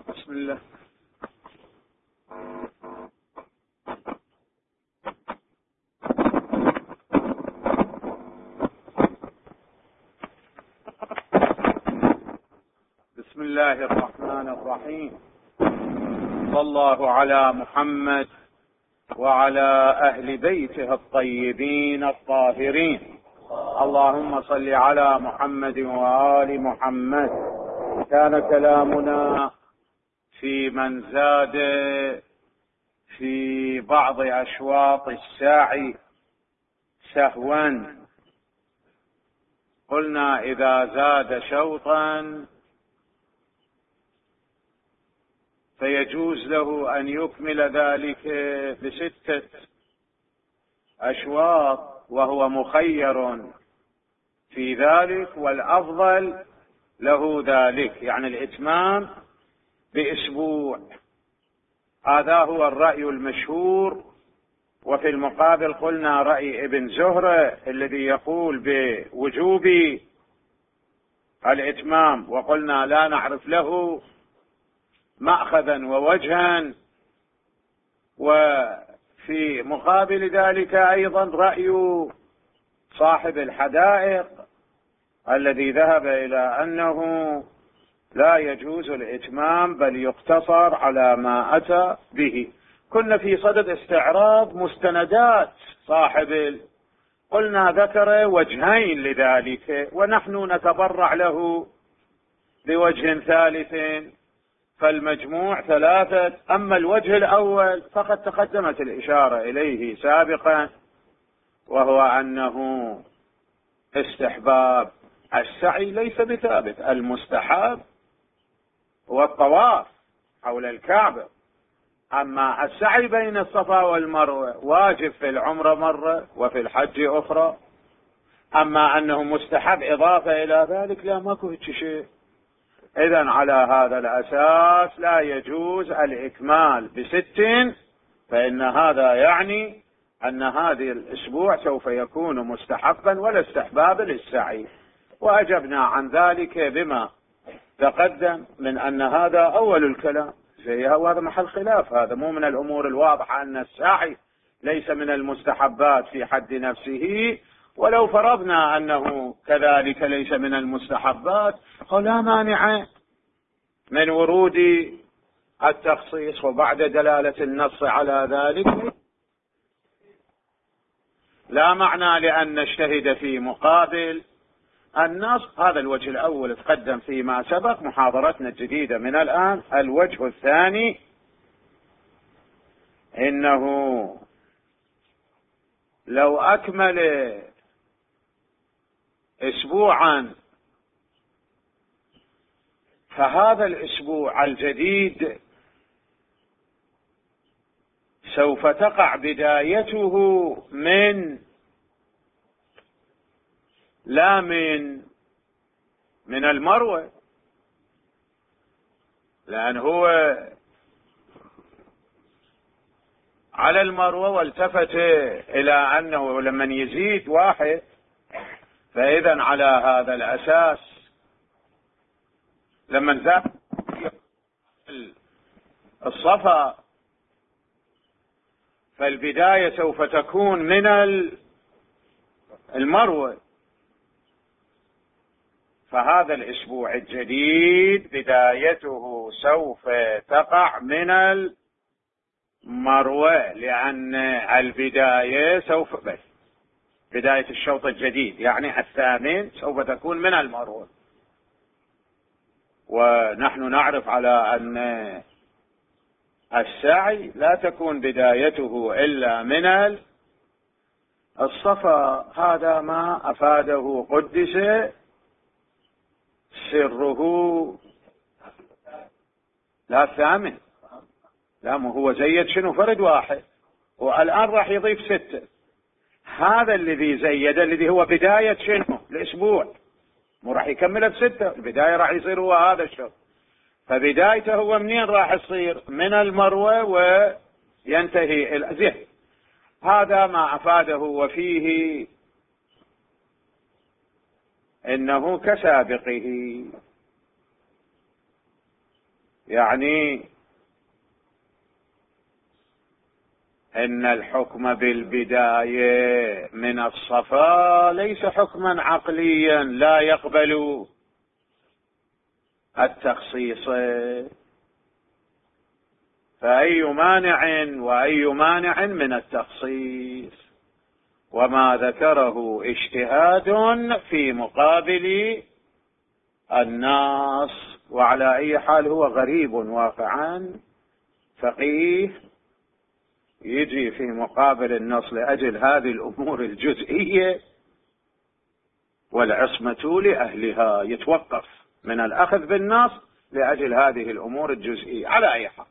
بسم الله. بسم الله الرحمن الرحيم. صلى الله على محمد وعلى أهل بيته الطيبين الطاهرين. اللهم صل على محمد وآل محمد. كان كلامنا في من زاد في بعض أشواط الساعي سهوا. قلنا إذا زاد شوطا فيجوز له أن يكمل ذلك ب6 أشواط، وهو مخير في ذلك، والأفضل له ذلك، يعني الإتمام بأسبوع. هذا هو الرأي المشهور. وفي المقابل قلنا رأي ابن زهرة الذي يقول بوجوب الإتمام، وقلنا لا نعرف له مأخذا ووجها. وفي مقابل ذلك أيضا رأي صاحب الحدائق الذي ذهب إلى أنه لا يجوز الإتمام بل يقتصر على ما أتى به. كنا في صدد استعراض مستندات صاحب، قلنا ذكر وجهين لذلك، ونحن نتبرع له بوجه ثالث، فالمجموع 3. أما الوجه الأول فقد تقدمت الإشارة إليه سابقا، وهو أنه استحباب السعي ليس بثابت. المستحب هو الطواف حول الكعبة، أما السعي بين الصفا والمروة واجب في العمرة مرة وفي الحج أخرى. أما أنه مستحب إضافة إلى ذلك لا، ماكو شيء. إذن على هذا الأساس لا يجوز الإكمال ب6، فإن هذا يعني أن هذه الأسبوع سوف يكون مستحبا ولا استحباب للسعي. وأجبنا عن ذلك بما تقدم من أن هذا أول الكلام، وهذا محل خلاف. هذا مو من الأمور الواضحة أن السعي ليس من المستحبات في حد نفسه. ولو فرضنا أنه كذلك ليس من المستحبات فلا مانع من ورود التخصيص، وبعد دلالة النص على ذلك لا معنى لأن نجتهد في مقابل النص. هذا الوجه الأول تقدم فيما سبق. محاضرتنا الجديدة من الآن الوجه الثاني، إنه لو أكمل أسبوعا فهذا الأسبوع الجديد سوف تقع بدايته لا من المروة، لأن هو على المروة والتفت إلى أنه لمن يزيد 1، فإذا على هذا الأساس لمن زاد الصفا فالبداية سوف تكون من المروة، فهذا الأسبوع الجديد بدايته سوف تقع من المروة، لأن البداية سوف بداية الشوط الجديد يعني 8 سوف تكون من المروة. ونحن نعرف على أن السعي لا تكون بدايته إلا من الصفا. هذا ما أفاده قدس سره. لا 8، لا هو زيد شنو فرد 1، والآن راح يضيف 6. هذا الذي زيد الذي هو بداية شنو الأسبوع، مو راح يكمل ب6، البداية راح يصير هو هذا الشهر. فبدايته هو منين راح يصير؟ من المروة وينتهي الزين. هذا ما أفاده وفيه إنه كسابقه، يعني إن الحكم بالبداية من الصفا ليس حكما عقليا لا يقبل التخصيص، فأي مانع وأي مانع من التخصيص، وما ذكره اجتهاد في مقابل النص. وعلى أي حال هو غريب واقعا فقيه يجي في مقابل النص لأجل هذه الأمور الجزئية والعصمة لأهلها، يتوقف من الأخذ بالنص لأجل هذه الأمور الجزئية. على أي حال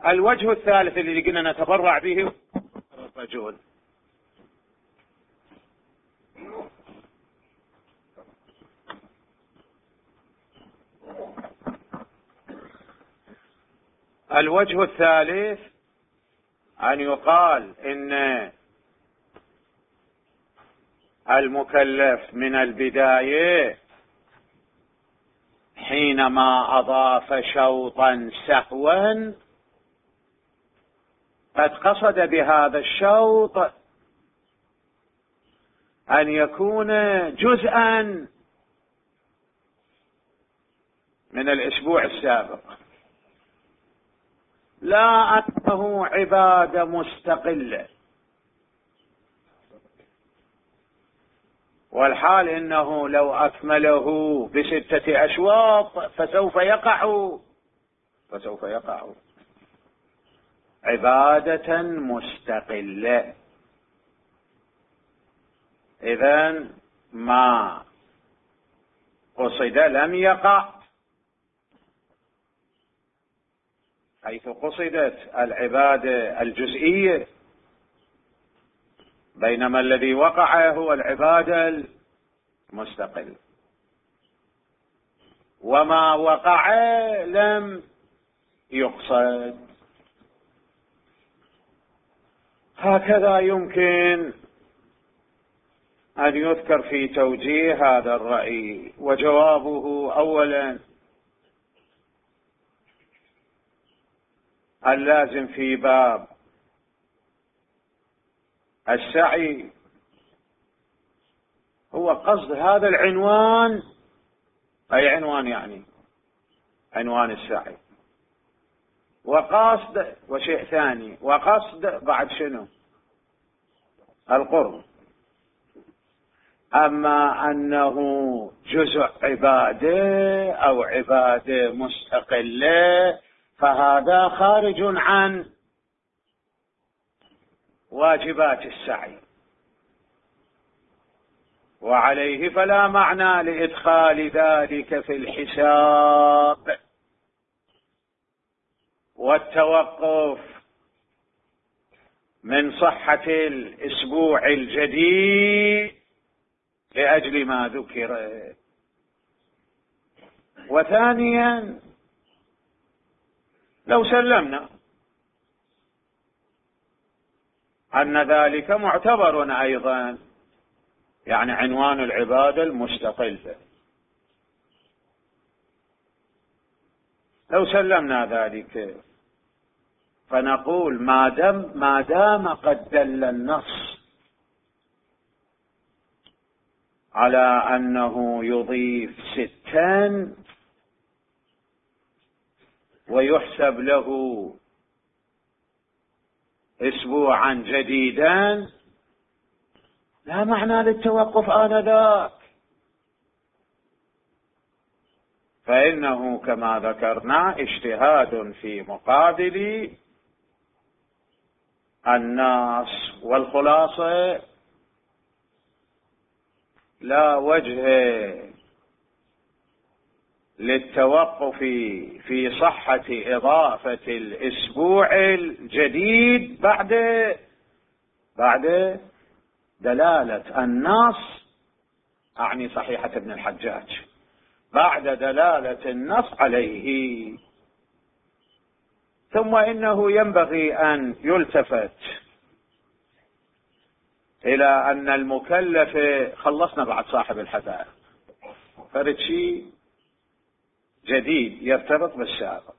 الوجه الثالث الذي قلنا نتبرع به الرجل، الوجه الثالث أن يقال إن المكلف من البداية حينما أضاف شوطا سهوا قد قصد بهذا الشوط أن يكون جزءا من الأسبوع السابق، لا أنه عبادة مستقلة، والحال إنه لو أكمله ب6 أشواط فسوف يقع عبادة مستقلة. إذن ما قصد لم يقع، حيث قصدت العبادة الجزئية، بينما الذي وقع هو العبادة المستقلة، وما وقع لم يقصد. هكذا يمكن أن يذكر في توجيه هذا الرأي. وجوابه أولا اللازم في باب السعي هو قصد هذا العنوان، أي عنوان يعني عنوان السعي، وقصد وشيء ثاني، وقصد بعد شنو؟ القرب. أما أنه جزء عبادة أو عبادة مستقلة فهذا خارج عن واجبات السعي، وعليه فلا معنى لإدخال ذلك في الحساب والتوقف من صحة الأسبوع الجديد لأجل ما ذكر. وثانيا لو سلمنا أن ذلك معتبر أيضا، يعني عنوان العبادة المستقلة، لو سلمنا ذلك فنقول ما دام قد دل النص على أنه يضيف 6 ويحسب له أسبوعا جديدا، لا معنى للتوقف آنذاك، فإنه كما ذكرنا اجتهاد في مقابل النص. والخلاصة لا وجه للتوقف في صحة إضافة الأسبوع الجديد بعد دلالة النص، أعني صحيحة ابن الحجاج، بعد دلالة النص عليه. ثم إنه ينبغي أن يلتفت إلى أن المكلف، خلصنا بعد صاحب الحدائق، فرد شيء جديد يرتبط بالسابق.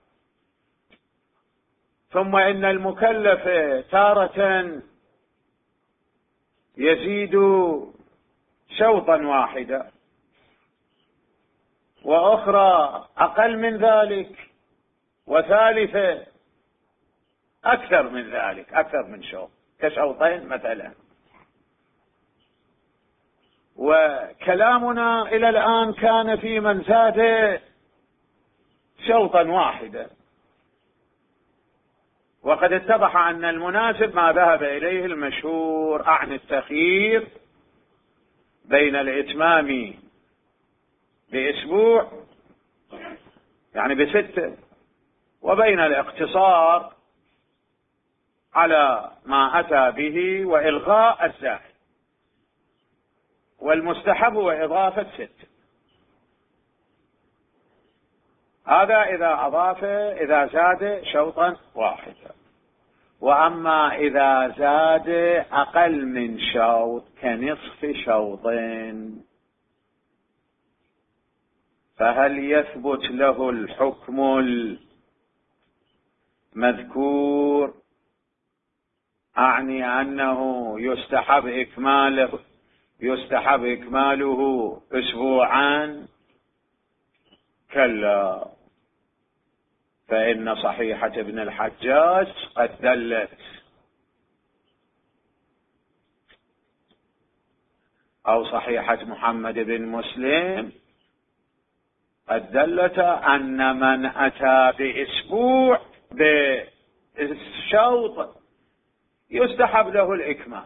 ثم إن المكلف تارة يزيد شوطا واحدا، وأخرى أقل من ذلك، وثالثة أكثر من ذلك، أكثر من شوط، كشوطين مثلا. وكلامنا إلى الآن كان في من زاد شوطا واحدا، وقد اتضح أن المناسب ما ذهب إليه المشهور عن التخيير بين الإتمام بأسبوع يعني ب6، وبين الاقتصار على ما أتى به وإلغاء الزائد، والمستحب هو إضافة 6. هذا إذا زاد شوطا واحدا. وأما إذا زاد أقل من شوط كنصف شوط، فهل يثبت له الحكم المذكور؟ أعني أنه يستحب إكماله أسبوعا؟ كلا، فإن صحيحة ابن الحجاج قد دلت، أو صحيحة محمد بن مسلم قد دلت أن من أتى بأسبوع بالشوط يستحب له الإكمال،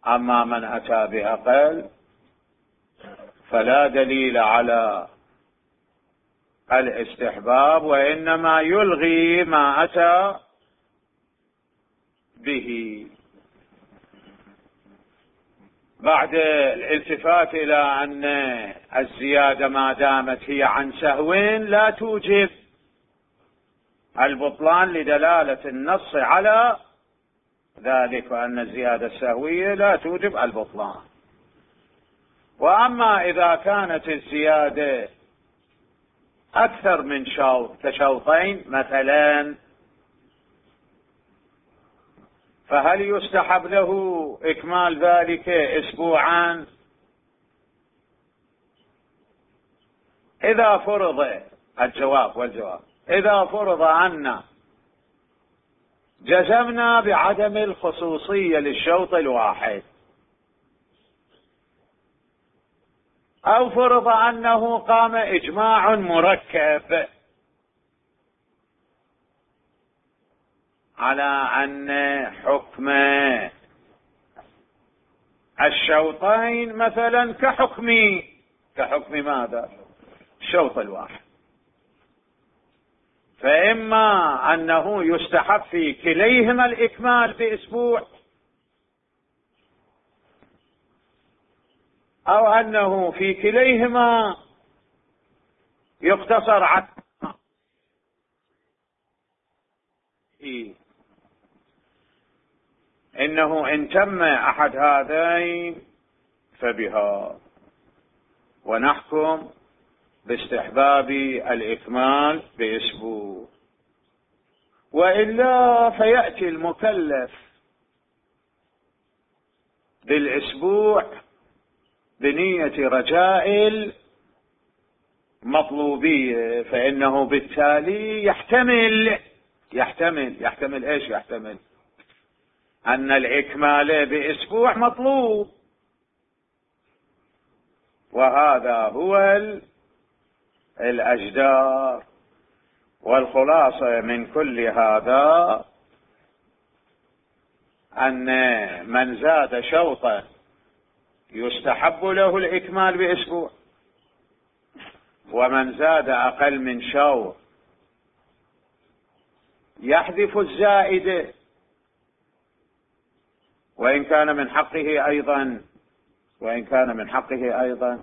أما من أتى بأقل فلا دليل على الاستحباب، وإنما يلغي ما أتى به. بعد الالتفات إلى أن الزيادة ما دامت هي عن سهو لا توجب البطلان لدلالة النص على ذلك، وأن الزيادة السهوية لا توجب البطلان. وأما إذا كانت الزيادة أكثر من شوط كشوطين مثلا، فهل يستحب له إكمال ذلك أسبوعا؟ إذا فرض والجواب إذا فرض أن جزمنا بعدم الخصوصية للشوط الواحد، أو فرض أنه قام إجماع مركب على أن حكم الشوطين مثلا كحكم ماذا؟ الشوط الواحد، فإما أنه يستحب في كليهما الإكمال بأسبوع، أو أنه في كليهما يقتصر على إنه إن تم أحد هذين فبها، ونحكم باستحباب الإكمال بأسبوع. وإلا فيأتي المكلف بالأسبوع بنية رجاء المطلوبية، فإنه بالتالي يحتمل إيش؟ يحتمل أن الإكمال بأسبوع مطلوب، وهذا هو الأجدار. والخلاصة من كل هذا أن من زاد شوطا يستحب له الإكمال بأسبوع، ومن زاد أقل من شوط يحذف الزائد، وإن كان من حقه أيضا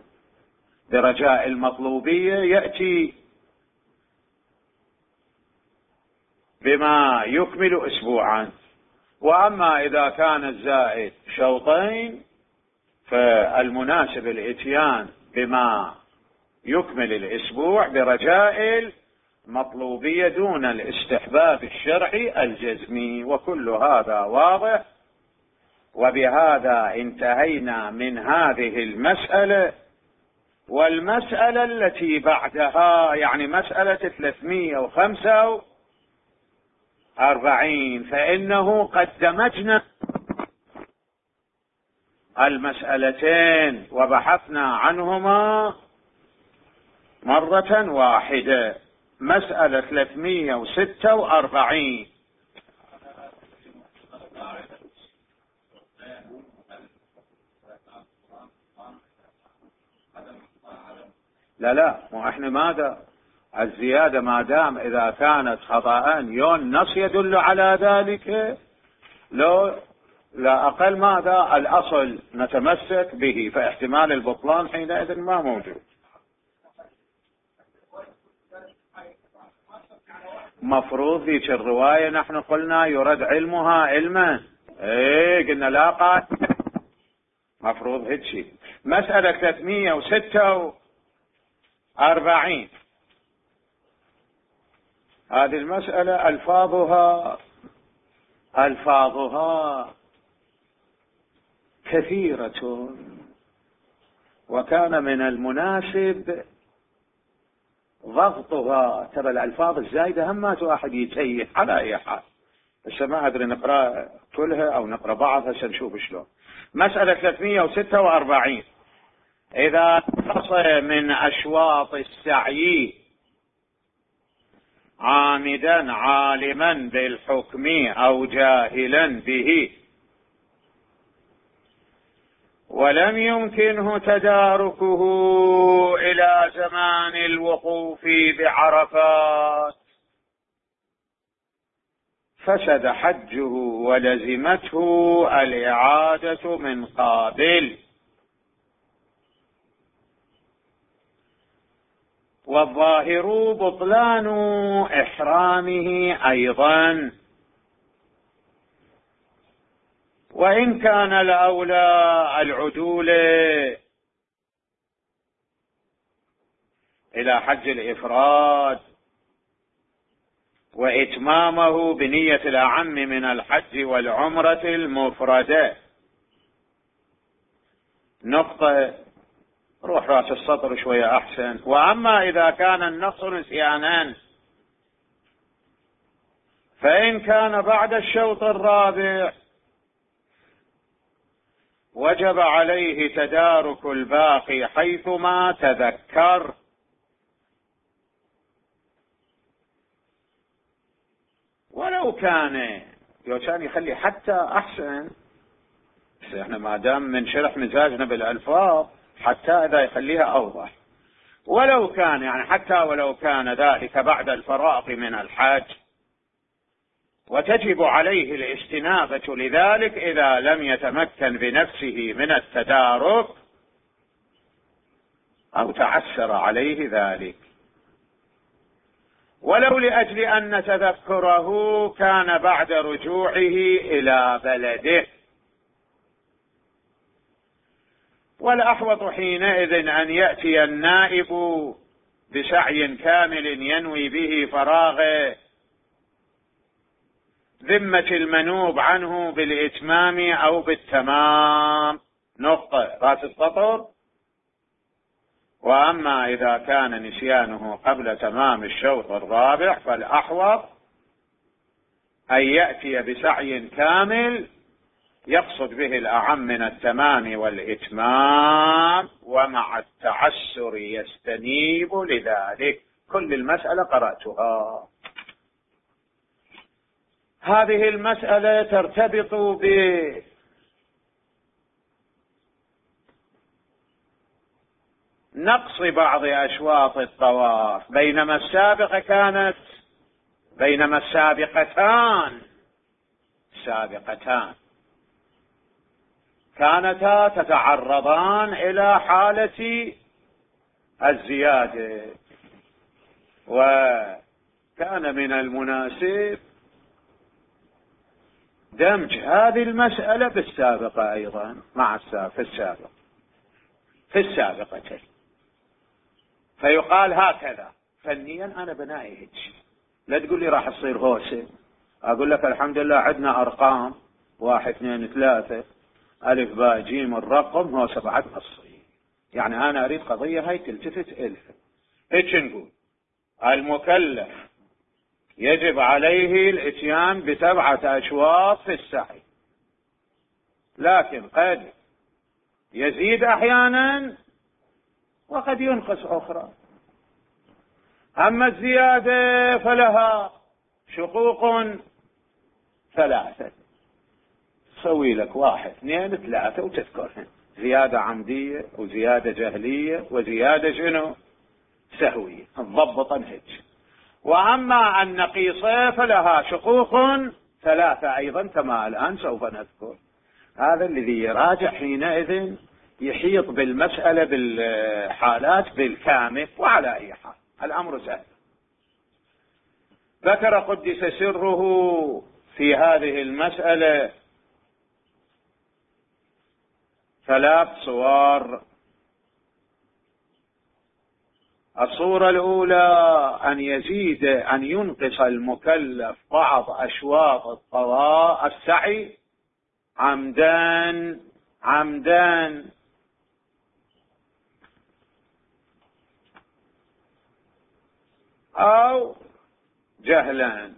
برجاء المطلوبية يأتي بما يكمل أسبوعا. وأما إذا كان الزائد شوطين فالمناسب الإتيان بما يكمل الأسبوع برجاء المطلوبية دون الاستحباب الشرعي الجزمي. وكل هذا واضح. وبهذا انتهينا من هذه المسألة. والمسألة التي بعدها يعني مسألة 345 فإنه قد دمجنا المسألتين وبحثنا عنهما مرة واحدة. مسألة 346 لا مو احنا ماذا الزيادة ما دام إذا كانت خطأ يون النص يدل على ذلك لو لا أقل ماذا الأصل نتمسك به، فاحتمال البطلان حينئذ ما موجود. مفروض ذيك الرواية نحن قلنا يرد علمها علما، قلنا لا قال مفروض هيك شيء. مسألة 346 هذه المسألة ألفاظها كثيرة، وكان من المناسب ضغطها. ترى الألفاظ الزايدة همات واحد يتيه على أي حال، بس ما أدري نقرأ كلها أو نقرأ بعضها سنشوف شلون. مسألة 346 إذا نقص من أشواط السعي عامدا عالما بالحكم أو جاهلا به ولم يمكنه تداركه إلى زمان الوقوف بعرفات فسد حجه ولزمته الإعادة من قابل. والظاهر بطلان إحرامه أيضا، وإن كان الأولى العدول إلى حج الإفراد وإتمامه بنية الأعم من الحج والعمرة المفردة. نقطة روح رأس السطر شوية أحسن. وأما إذا كان النقص نسيانا فإن كان بعد الشوط الرابع وجب عليه تدارك الباقي حيثما تذكر. ولو كان يخلي حتى أحسن، احنا ما دام من شرح مزاجنا بالألفاظ حتى إذا يخليها أوضح. ولو كان حتى ولو كان ذلك بعد الفراغ من الحج وتجب عليه الاستنابة لذلك إذا لم يتمكن بنفسه من التدارك أو تعسر عليه ذلك، ولو لأجل أن تذكره كان بعد رجوعه إلى بلده. والأحوط حينئذ أن يأتي النائب بسعي كامل ينوي به فراغ ذمة المنوب عنه بالإتمام أو بالتمام. نقطة رأس السطر. وأما إذا كان نسيانه قبل تمام الشوط الرابع فالأحوط أن يأتي بسعي كامل يقصد به الأعم من التمام والإتمام ومع التعسر يستنيب لذلك. كل المسألة قرأتها. هذه المسألة ترتبط بنقص بعض أشواط الطواف، بينما السابقتان كانتا تتعرضان إلى حالة الزيادة، وكان من المناسب دمج هذه المسألة بالسابقة أيضا مع في السابقة فيقال هكذا فنيا أنا بنائي هيك. لا تقول لي راح تصير هوسة، أقول لك الحمد لله عندنا أرقام 1 2 3 ألف باء جيم الرقم هو 7 أصلي. يعني أنا أريد قضية هاي تلتفت إلها. هيك نقول المكلف يجب عليه الاتيان ب7 أشواط في السعي، لكن قد يزيد أحيانا وقد ينقص أخرى. أما الزيادة فلها شقوق 3، تسوي لك 1 2 3 وتذكرهن، زيادة عمدية وزيادة جهلية وزيادة شنو سهوية، تضبطا هيك. وأما النقيصة فلها شقوق 3 أيضا كما الآن سوف نذكر. هذا الذي يراجع حينئذ يحيط بالمسألة بالحالات بالكامل. وعلى أي حال الأمر سهل. ذكر قدس سره في هذه المسألة 3 صور. الصورة الأولى أن ينقص المكلف بعض أشواط القضاء السعي عمدا أو جهلا،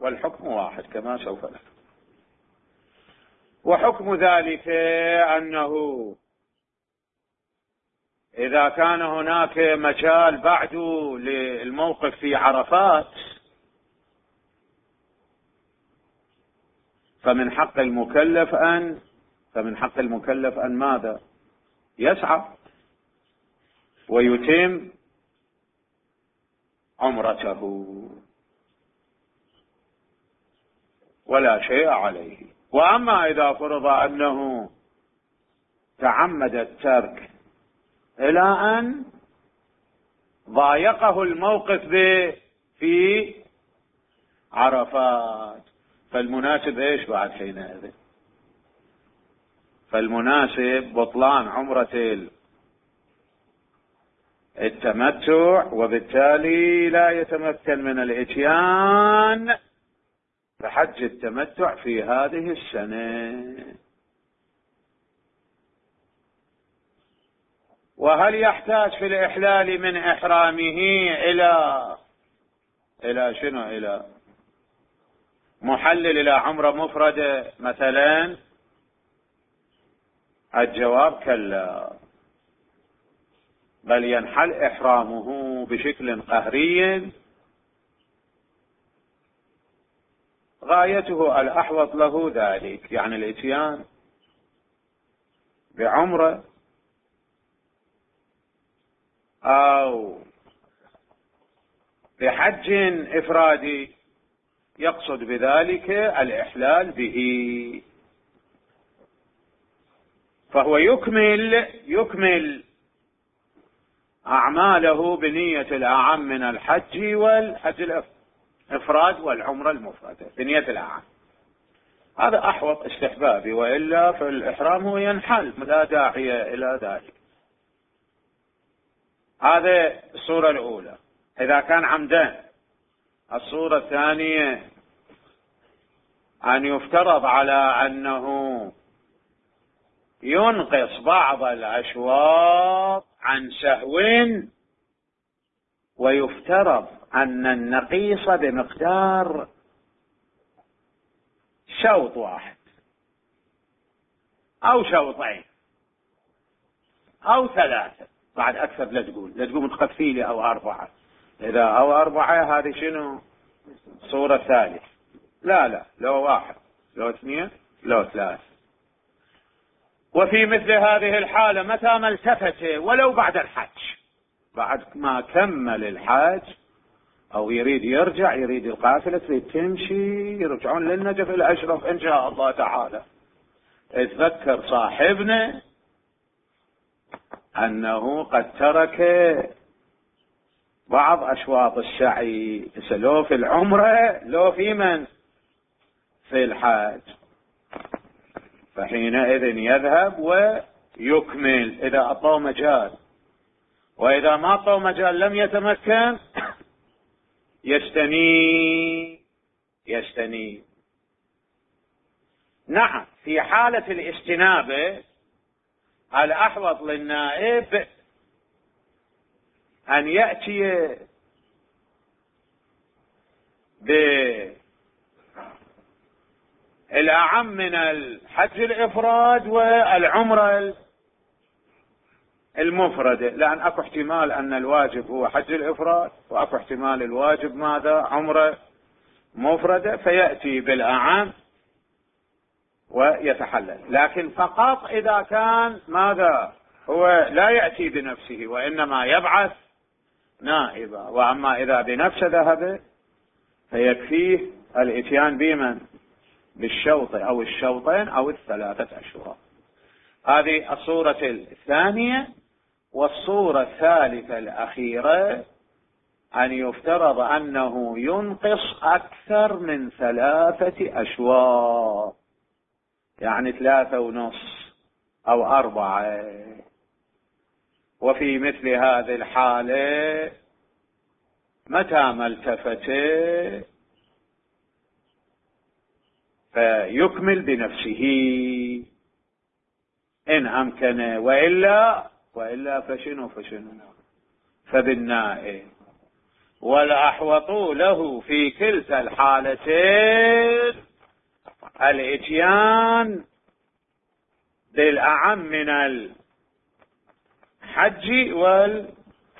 والحكم واحد كما سوف نذكر. وحكم ذلك أنه إذا كان هناك مجال بعد للموقف في عرفات فمن حق المكلف أن ماذا؟ يسعى ويتم عمرته ولا شيء عليه. وأما إذا فرض أنه تعمد الترك إلى أن ضايقه الموقف في عرفات، فالمناسب إيش بعد حينئذ؟ فالمناسب بطلان عمرة التمتع، وبالتالي لا يتمكن من الإتيان بحج التمتع في هذه السنة. وهل يحتاج في الإحلال من إحرامه إلى شنو؟ إلى محلل إلى عمرة مفردة مثلا؟ الجواب كلا، بل ينحل إحرامه بشكل قهري غايته الأحوط له ذلك، يعني الإتيان بعمرة أو بحج إفرادي يقصد بذلك الإحلال به، فهو يكمل أعماله بنية الأعم من الحج والحج الإفراد والعمرة المفردة بنية الأعم. هذا أحوط استحبابي، وإلا فالإحرام هو ينحل لا داعي إلى ذلك. هذه الصورة الأولى إذا كان عمدان. الصورة الثانية أن يفترض على أنه ينقص بعض الأشواط عن سهو، ويفترض أن النقيص بمقدار شوط واحد أو شوطين أو 3. بعد أكثر لا تقول تقفي لي أو 4. إذا أو 4 هذه شنو؟ صورة ثالثة. لا لو 1 لو 2 لو 3. وفي مثل هذه الحالة متى ما التفت ولو بعد الحج، بعد ما كمل الحج أو يريد يرجع، يريد القافلة تريد تمشي، يرجعون للنجف الأشرف إن شاء الله تعالى، اتذكر صاحبنا أنه قد ترك بعض أشواط السعي، لو في العمرة لو في في الحج، فحينئذ يذهب ويكمل إذا أعطاه مجال، وإذا ما أعطاه مجال لم يتمكن يستنيب. نعم، في حالة الاستنابة الأحوط للنائب أن يأتي بالأعم من الحج الإفراد والعمرة المفردة، لأن أكو احتمال أن الواجب هو حج الإفراد، وأكو احتمال الواجب ماذا؟ عمرة مفردة، فيأتي بالأعم ويتحلل. لكن فقط إذا كان ماذا؟ هو لا يأتي بنفسه وإنما يبعث نائبا. وأما إذا بنفسه ذهب فيكفيه الإتيان بمن؟ بالشوط أو الشوطين أو الثلاثة أشواط. هذه الصورة الثانية. والصورة الثالثة الأخيرة أن يفترض أنه ينقص أكثر من 3 أشواط، يعني 3.5 أو 4. وفي مثل هذه الحالة متى ما التفت فيكمل بنفسه إن أمكن، وإلا فشنو فبالنائب. والأحوط له في كلتا الحالتين الإتيان بالأعم من الحج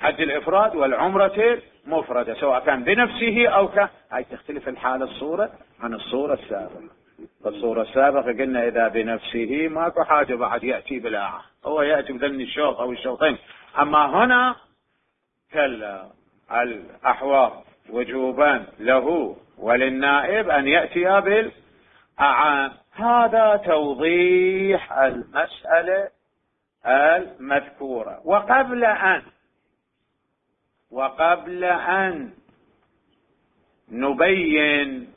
الإفراد والعمرة المفردة، سواء كان بنفسه أو كان. هاي تختلف الحالة الصورة عن الصورة السابقة. الصورة السابقة قلنا إذا بنفسه ماكو حاجة بعد يأتي بالأعم، هو يأتي بذن الشوط أو الشوطين. أما هنا كلا، الأحوط وجوبا له وللنائب أن يأتي بالأعم. هذا توضيح المسألة المذكورة. وقبل أن نبين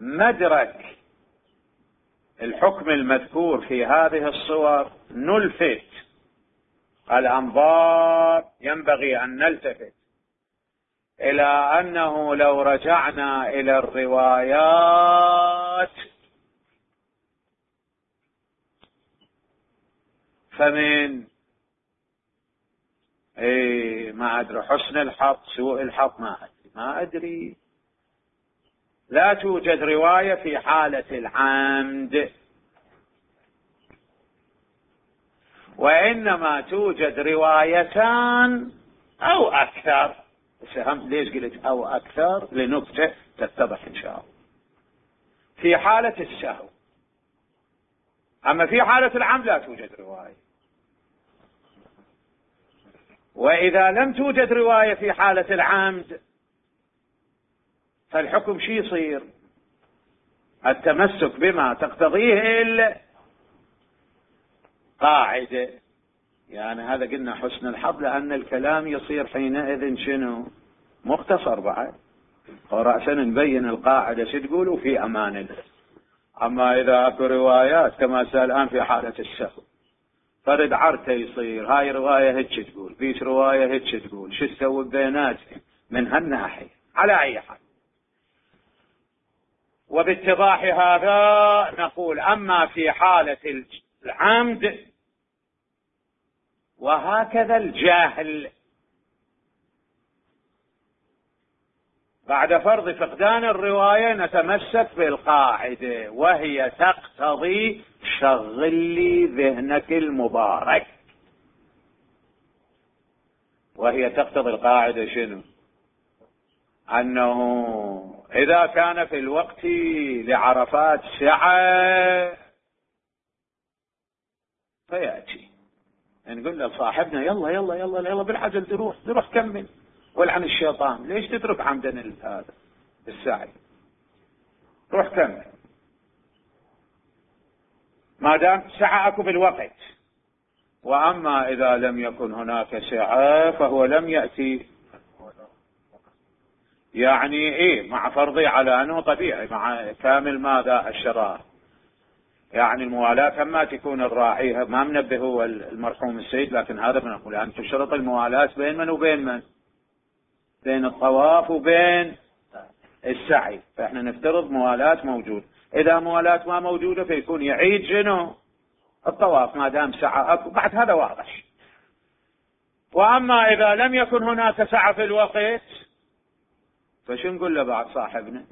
مدرك الحكم المذكور في هذه الصور نلفت الأنظار، ينبغي أن نلتفت إلى أنه لو رجعنا إلى الروايات فمن ما أدري حسن الحظ سوء الحظ ما أدري لا توجد رواية في حالة العمد، وإنما توجد روايتان أو أكثر. ليش قلت أو أكثر؟ لنكتة تتضح إن شاء الله. في حالة السهو، أما في حالة العمد لا توجد رواية. وإذا لم توجد رواية في حالة العمد فالحكم شي يصير؟ التمسك بما تقتضيه القاعدة. يعني هذا قلنا حسن الحظ، لأن الكلام يصير حينئذ شنو؟ مختصر بعد، ورأسا نبين القاعدة شو تقول وفي أمان الله. أما إذا أكو روايات كما سأل الآن في حالة السهو، فرد عرته يصير هاي رواية هيك تقول، فيش رواية هيك تقول، شو تسوي بيناتهم من هالناحية. على أي حال، وباتضاح هذا نقول أما في حالة العمد وهكذا الجهل بعد فرض فقدان الرواية نتمسك بالقاعدة، وهي تقتضي شغل لي ذهنك المبارك. وهي تقتضي القاعدة شنو؟ أنه إذا كان في الوقت لعرفات سعة فيأتي نقول لصاحبنا يلا يلا يلا يلا بالعجل تروح كمل، ولعن الشيطان ليش تترك عمدا هذا السعي، روح كمل ما دام سعى اكو بالوقت. واما اذا لم يكن هناك سعة فهو لم يأتي يعني ايه مع فرضي على انه طبيعي مع كامل ماذا الشرائع. يعني الموالاة ما تكون الراعي ما منبه هو المرحوم السيد، لكن هذا بنقول يعني تشترط الموالاة بين من وبين من؟ بين الطواف وبين السعي. فاحنا نفترض موالاة موجود. اذا موالاة ما موجودة فيكون يعيد شنو؟ الطواف ما دام سعى بعد هذا واضح. واما اذا لم يكن هناك سعى في الوقت فشو نقول له بعد صاحبنا؟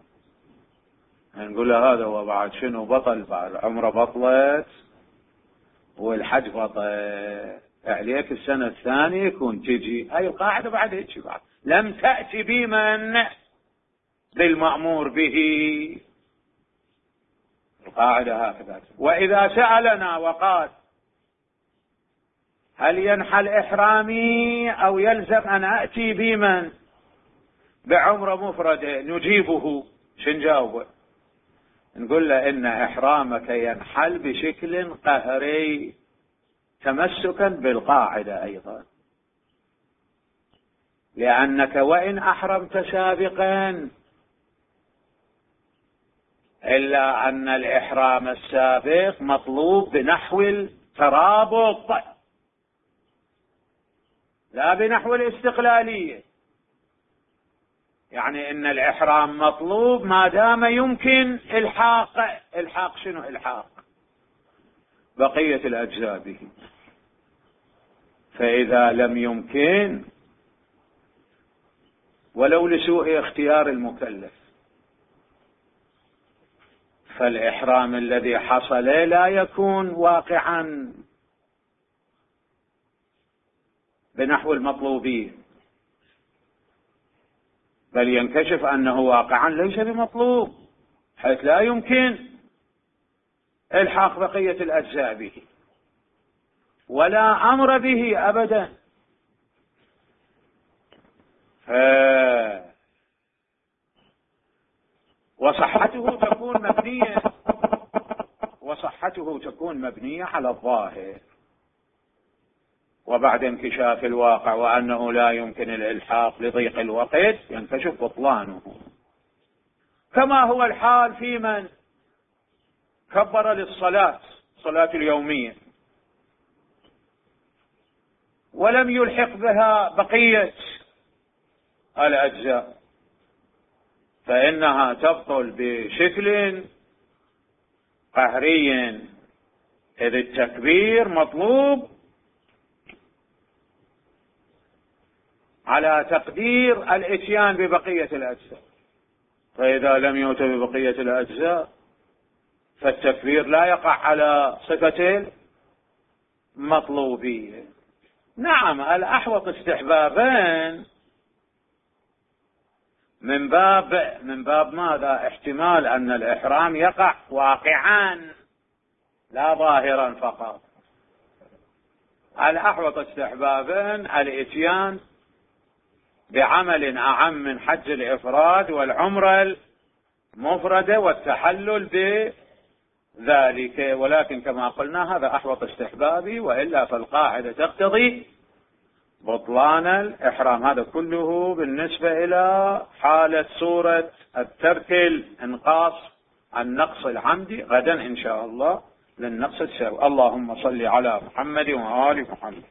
نقول له هذا هو بعد شنو بطل، بعد عمره بطلت والحج بطل عليك السنة الثانية يكون تجي. هاي القاعدة بعد هيك بعد لم تأتي بمن بالمأمور به. القاعدة هكذا. وإذا سألنا وقال هل ينحل إحرامي أو يلزم أن أأتي بمن بعمرة مفردة نجيبه شنجاوبه؟ نقول له إن إحرامك ينحل بشكل قهري تمسكا بالقاعدة أيضا، لأنك وإن أحرمت سابقا إلا أن الإحرام السابق مطلوب بنحو الترابط لا بنحو الاستقلالية. يعني إن الإحرام مطلوب ما دام يمكن إلحاق شنو؟ إلحاق بقية الأجزاء به. فإذا لم يمكن ولو لسوء اختيار المكلف فالإحرام الذي حصل لا يكون واقعا بنحو المطلوبين، بل ينكشف أنه واقعا ليس بمطلوب حيث لا يمكن إلحاق بقية الأجزاء به ولا أمر به أبدا. وصحته تكون مبنية على الظاهر، وبعد انكشاف الواقع وأنه لا يمكن الإلحاق لضيق الوقت ينكشف بطلانه، كما هو الحال في من كبر للصلاة صلاة اليومية ولم يلحق بها بقية الأجزاء، فإنها تبطل بشكل قهري، إذ التكبير مطلوب على تقدير الاتيان ببقية الأجزاء. فإذا لم يؤت ببقية الأجزاء فالتكبير لا يقع على صفة المطلوبية. نعم الأحوط استحبابا من باب ماذا؟ احتمال أن الإحرام يقع واقعا لا ظاهرا فقط. الأحوط استحبابا الاتيان بعمل أعم من حج الإفراد والعمرة المفردة والتحلل بذلك، ولكن كما قلنا هذا أحوط استحبابي، وإلا فالقاعدة تقتضي بطلان الإحرام. هذا كله بالنسبة إلى حالة صورة الترك الإنقاص النقص العمدي. غدا إن شاء الله للنقص السهو. اللهم صل على محمد وآل محمد.